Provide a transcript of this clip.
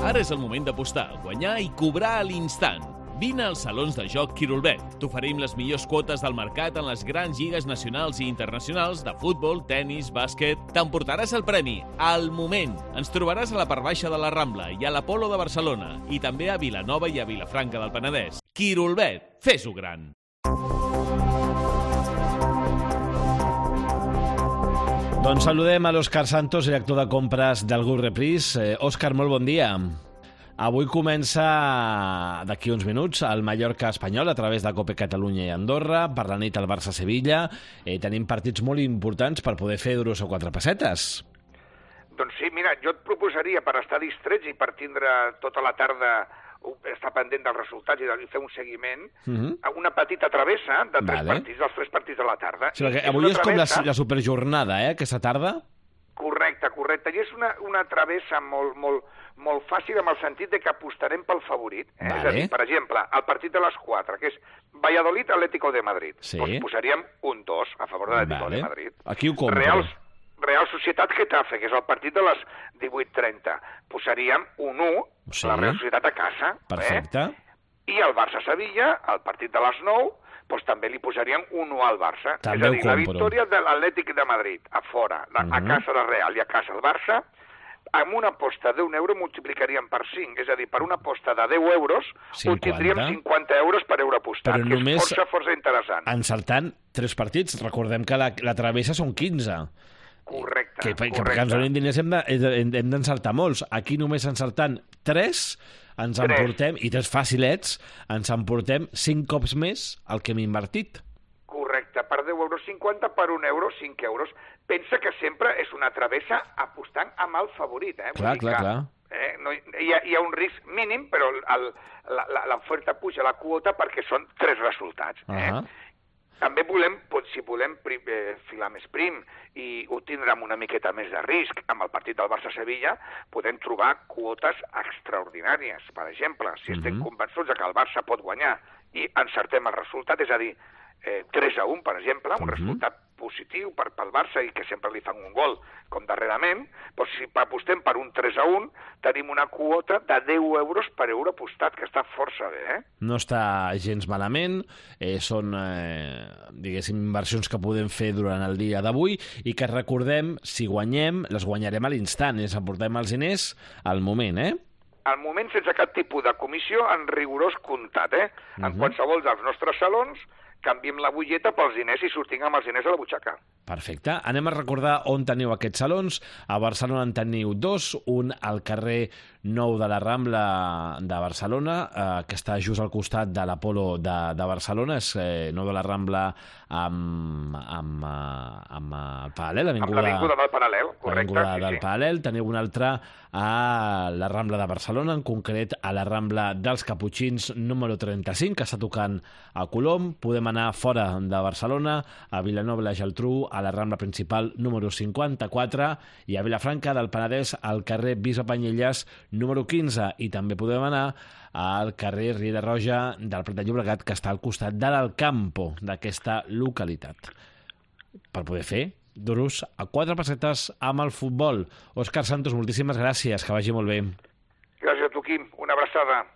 Ara és el moment d'apostar, guanyar i cobrar a l'instant. Vine als salons de joc Quirolbet. T'oferim les millors quotes del mercat en les grans lligues nacionals i internacionals de futbol, tennis, bàsquet. T'emportaràs el premi al moment. Ens trobaràs a la part baixa de la Rambla i a l'Apolo de Barcelona i també a Vilanova i a Vilafranca del Penedès. Quirolbet, fes-ho gran. Doncs saludem a l'Òscar Santos, director de compres del Grup Reprise. Òscar, molt bon dia. Avui comença, d'aquí uns minuts, el Mallorca espanyol a través de Copa Catalunya i Andorra. Per la nit el Barça-Sevilla. Tenim partits molt importants per poder fer duros o quatre pessetes. Doncs sí, mira, jo et proposaria, per estar distrets i per tindre tota la tarda estar pendent dels resultats i fer un seguiment, una petita travessa de partits, dels 3 partits de la tarda. Sí, avui és com la superjornada, aquesta tarda? Correcte. I és una travessa molt fàcil en el sentit de que apostarem pel favorit. És a dir, per exemple, el partit de les 4, que és Valladolid-Atlético de Madrid. Sí. Doncs posaríem un 2 a favor de l'Atlético de Madrid. Aquí ho compro. Real Societat-Getafe, que és el partit de les 18:30. Posaríem un 1, la Real Societat a casa. Perfecte. I el Barça-Sevilla, el partit de les 9, doncs també li posaríem un 1 al Barça. També és a dir, la victòria de l'Atlètic de Madrid, a fora, a casa del Real i a casa el Barça, amb una aposta d'1 € multiplicaríem per 5. És a dir, per una aposta de 10 euros, obtindríem 50 euros per euro apostat, però que és força interessant. Encertant 3 partits. Recordem que la travessa són 15. Correcte. Que perquè ens donin diners hem d'encertar molts. Aquí només encertant 3 ens emportem, i 3 facilets, ens emportem 5 cops més el que hem invertit. Correcte, per 10 euros 50, per 1 euro 5 euros. Pensa que sempre és una travessa apostant amb el favorit. Clar. No, hi ha un risc mínim, però l'oferta puja la quota perquè són 3 resultats. També si volem filar més prim i obtindre amb una miqueta més de risc amb el partit del Barça-Sevilla, podem trobar quotes extraordinàries. Per exemple, si estem convençuts que el Barça pot guanyar i encertem el resultat, és a dir, 3-1, per exemple, un resultat positiu pel Barça i que sempre li fan un gol, com darrerament, doncs si apostem per un 3-1, tenim una quota de 10 euros per euro apostat, que està força bé. No està gens malament, són, diguéssim, inversions que podem fer durant el dia d'avui i que recordem, si guanyem, les guanyarem a l'instant, aportem els diners al moment, Al moment, sense cap tipus de comissió, en rigorós comptat, En qualsevol dels nostres salons, canviem la butlleta pels diners i sortim amb els diners a la butxaca. Perfecte. Anem a recordar on teniu aquests salons. A Barcelona en teniu 2, un al carrer Nou de la Rambla de Barcelona, que està just al costat de l'Apolo de Barcelona, és Nou de la Rambla amb el Paral·lel, l'avinguda del Paral·lel, correcte. L'avinguda del Paral·lel. Teniu un altre a la Rambla de Barcelona, en concret a la Rambla dels Caputxins número 35, que està tocant a Colom. Podem anar fora de Barcelona, a Vilanova i la Geltrú, a la Rambla principal número 54 i a Vilafranca del Penedès al carrer Bisbe Panyelles número 15, i també podem anar al carrer Riera Roja del Prat de Llobregat, que està al costat de l'Alcampo d'aquesta localitat, per poder fer duros a 4 pessetes amb el futbol. Òscar Santos, moltíssimes gràcies, que vagi molt bé. Gràcies a tu, Quim. Una abraçada.